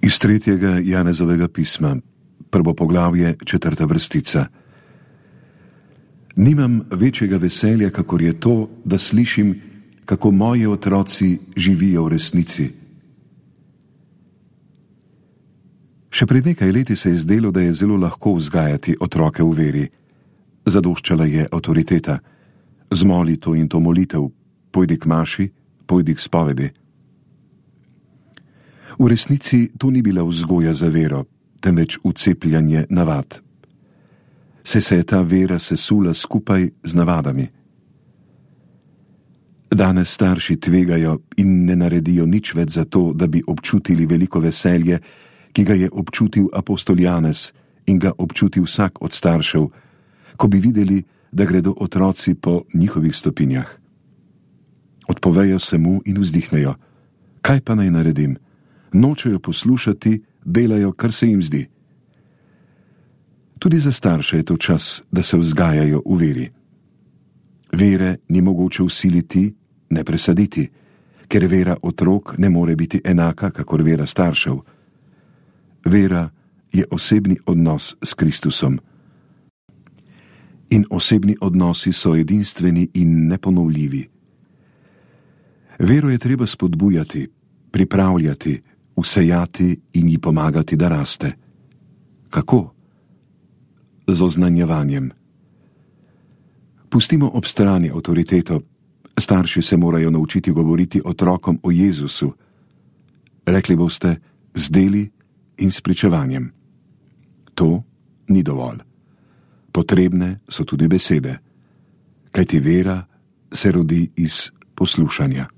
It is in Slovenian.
Iz 3. Janezovega pisma, 1. poglavje, 4. vrstica. Nimam večjega veselja, kakor je to, da slišim, kako moji otroci živijo v resnici. Še pred nekaj leti se je zdelo, da je zelo lahko vzgajati otroke v veri. Zadoščala je avtoriteta. Zmoli to in to molitev, pojdi k maši, pojdi k spovedi. V resnici to ni bila vzgoja za vero, temveč vcepljanje navad. Saj se je ta vera sesula skupaj z navadami. Danes starši tvegajo in ne naredijo nič več za to, da bi občutili veliko veselje, ki ga je občutil apostol Janez in ga občuti vsak od staršev, ko bi videli, da gredo otroci po njihovih stopinjah. Odpovejo se mu in vzdihnejo. Kaj pa naj naredim? Nočejo poslušati, delajo, kar se jim zdi. Tudi za starše je to čas, da se vzgajajo v veri. Vere ni mogoče vsiliti, ne presaditi, ker vera otrok ne more biti enaka, kakor vera staršev. Vera je osebni odnos s Kristusom. In osebni odnosi so edinstveni in neponovljivi. Vero je treba spodbujati, pripravljati, vsejati in ji pomagati, da raste. Kako? Z oznanjevanjem. Pustimo ob strani avtoriteto. Starši se morajo naučiti govoriti otrokom o Jezusu. Rekli boste, z deli in s pričevanjem. To ni dovolj. Potrebne so tudi besede, kajti vera se rodi iz poslušanja.